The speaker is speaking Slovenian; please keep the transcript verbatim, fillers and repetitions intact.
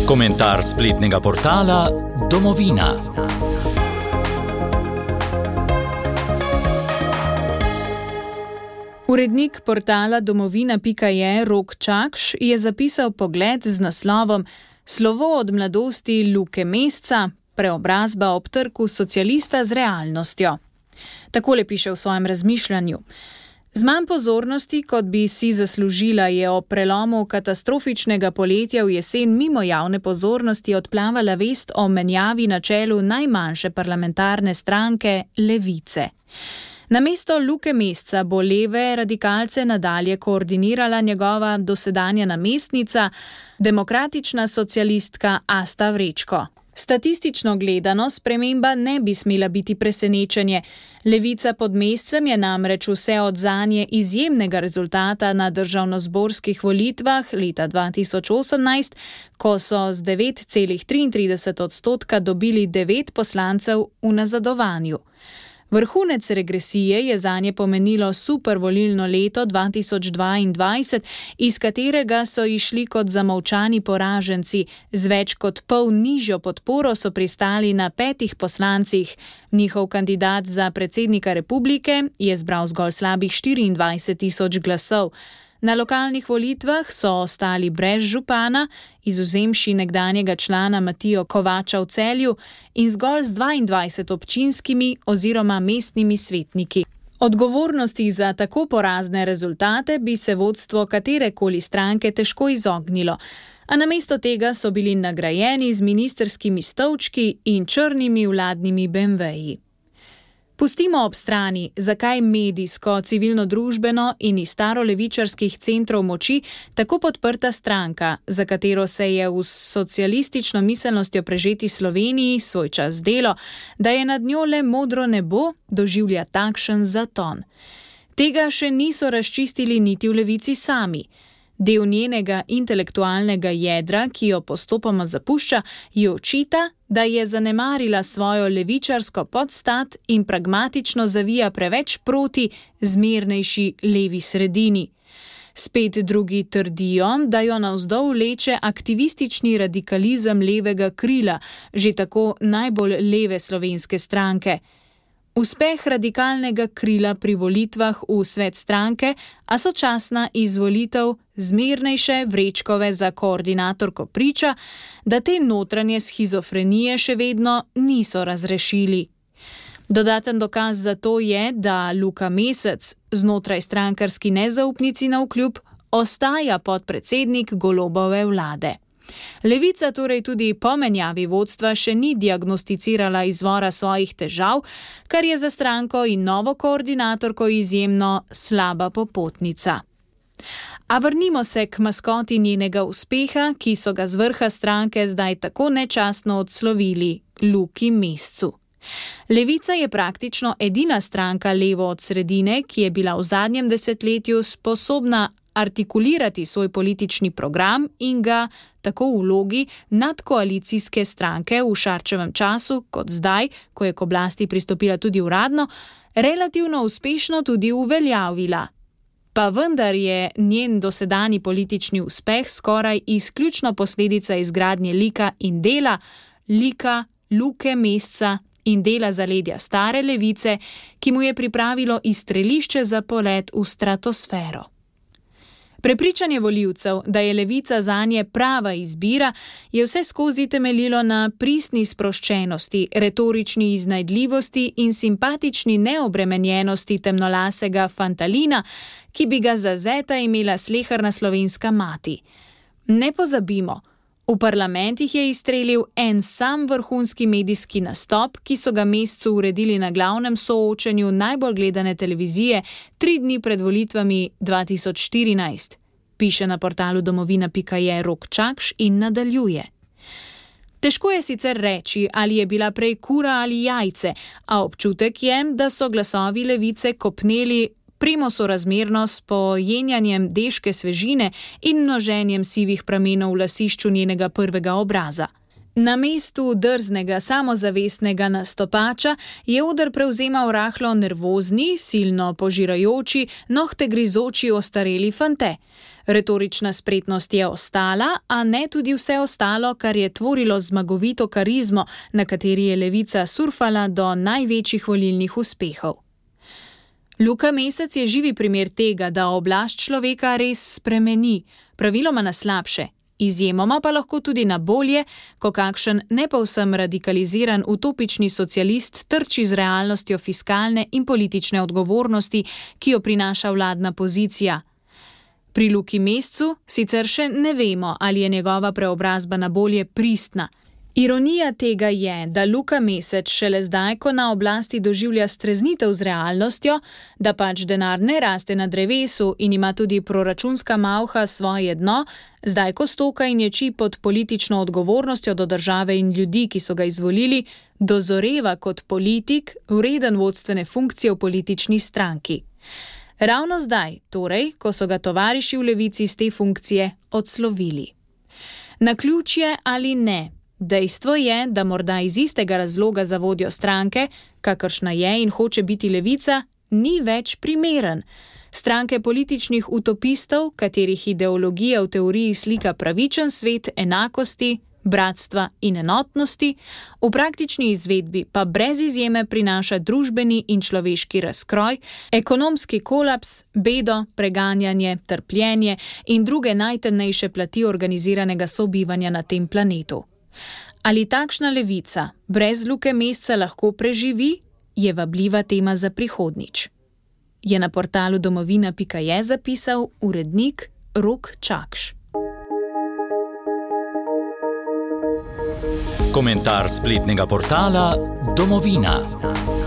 Komentar spletnega portala Domovina. Urednik portala domovina pika je Rok Čakš je zapisal pogled z naslovom Slovo od mladosti Luke Mesca, preobrazba ob trku socialista z realnostjo. Takole piše v svojem razmišljanju. Z manj pozornosti, kot bi si zaslužila, je o prelomu katastrofičnega poletja v jesen mimo javne pozornosti odplavala vest o menjavi na čelu najmanjše parlamentarne stranke Levice. Namesto Luke Mesca bo leve radikalce nadalje koordinirala njegova dosedanja namestnica, demokratična socialistka Asta Vrečko. Statistično gledano sprememba ne bi smela biti presenečenje. Levica pod Mescem je namreč vse od zanje izjemnega rezultata na državnozborskih volitvah leta dva tisoč osemnajst, ko so z devet celih triintrideset odstotka dobili devet poslancev v nazadovanju. Vrhunec regresije je zanje pomenilo super volilno leto dva tisoč dvaindvajset, iz katerega so išli kot zamolčani poraženci. Z več kot pol nižjo podporo so pristali na petih poslancih. Njihov kandidat za predsednika republike je zbral zgolj slabih štiriindvajset tisoč glasov. Na lokalnih volitvah so ostali brez župana, izvzemši nekdanjega člana Matijo Kovača v Celju, in zgolj z dvaindvajset občinskimi oziroma mestnimi svetniki. Odgovornosti za tako porazne rezultate bi se vodstvo katerekoli stranke težko izognilo, a namesto tega so bili nagrajeni z ministrskimi stolčki in črnimi vladnimi beemveji. Pustimo ob strani, zakaj medijsko, civilno-družbeno in iz starolevičarskih centrov moči tako podprta stranka, za katero se je v socialistično miselnostjo prežeti Sloveniji svoj čas delo, da je nad njo le modro nebo, doživlja takšen zaton. Tega še niso razčistili niti v Levici sami. Del njenega intelektualnega jedra, ki jo postopoma zapušča, ji očita, da je zanemarila svojo levičarsko podstat in pragmatično zavija preveč proti zmernejši levi sredini. Spet drugi trdijo, da jo navzdol vleče aktivistični radikalizem levega krila, že tako najbolj leve slovenske stranke. Uspeh radikalnega krila pri volitvah v svet stranke, a sočasna izvolitev zmernejše Vrečkove za koordinatorko priča, da te notranje shizofrenije še vedno niso razrešili. Dodaten dokaz za to je, da Luka Mesec, znotraj strankarski nezaupnici navkljub, ostaja podpredsednik Golobove vlade. Levica torej tudi po menjavi vodstva še ni diagnosticirala izvora svojih težav, kar je za stranko in novo koordinatorko izjemno slaba popotnica. A vrnimo se k maskoti njenega uspeha, ki so ga z vrha stranke zdaj tako nečastno odslovili, Luki Mescu. Levica je praktično edina stranka levo od sredine, ki je bila v zadnjem desetletju sposobna artikulirati svoj politični program in ga, tako v vlogi nadkoalicijske stranke v Šarčevem času, kot zdaj, ko je k oblasti pristopila tudi uradno, relativno uspešno tudi uveljavila. Pa vendar je njen dosedanji politični uspeh skoraj izključno posledica izgradnje lika in dela, lika Luke Mesca in dela zaledja stare levice, ki mu je pripravilo izstrelišče za polet v stratosfero. Prepričanje volivcev, da je levica zanje prava izbira, je vse skozi temeljilo na pristni sproščenosti, retorični iznajdljivosti in simpatični neobremenjenosti temnolasega fantalina, ki bi ga za zeta imela sleherna slovenska mati. Ne pozabimo, v parlamentih je izstrelil en sam vrhunski medijski nastop, ki so ga Mescu uredili na glavnem soočenju najbolj gledane televizije tri dni pred volitvami dva tisoč štirinajst. Piše na portalu domovina pika je Rok Čakš in nadaljuje. Težko je sicer reči, ali je bila prej kura ali jajce, a občutek je, da so glasovi levice kopneli premo sorazmerno s pojenjanjem deške svežine in množenjem sivih pramenov v lasišču njenega prvega obraza. Na mestu drznega, samozavestnega nastopača je oder prevzemal rahlo nervozni, silno požirajoči, nohte grizoči ostareli fante. Retorična spretnost je ostala, a ne tudi vse ostalo, kar je tvorilo zmagovito karizmo, na kateri je levica surfala do največjih volilnih uspehov. Luka Mesec je živi primer tega, da oblast človeka res spremeni, praviloma na slabše, izjemoma pa lahko tudi na bolje, ko kakšen ne povsem radikaliziran utopični socialist trči z realnostjo fiskalne in politične odgovornosti, ki jo prinaša vladna pozicija. Pri Luki Mescu sicer še ne vemo, ali je njegova preobrazba na bolje pristna. Ironija tega je, da Luka Mesec šele zdaj, ko na oblasti doživlja streznitev z realnostjo, da pač denar ne raste na drevesu in ima tudi proračunska malha svoje dno, zdaj ko stoka in ječi pod politično odgovornostjo do države in ljudi, ki so ga izvolili, dozoreva kot politik, vreden vodstvene funkcije v politični stranki. Ravno zdaj, torej, ko so ga tovariši v levici z te funkcije odslovili. Naključje ali ne? Dejstvo je, da morda iz istega razloga za vodjo stranke, kakršna je in hoče biti levica, ni več primeren. Stranke političnih utopistov, katerih ideologija v teoriji slika pravičen svet enakosti, bratstva in enotnosti, v praktični izvedbi pa brez izjeme prinaša družbeni in človeški razkroj, ekonomski kolaps, bedo, preganjanje, trpljenje in druge najtemnejše plati organiziranega sobivanja na tem planetu. Ali takšna levica brez Luke Mesca lahko preživi, je vabljiva tema za prihodnjič. Je na portalu domovina pika je zapisal urednik Rok Čakš. Komentar spletnega portala Domovina.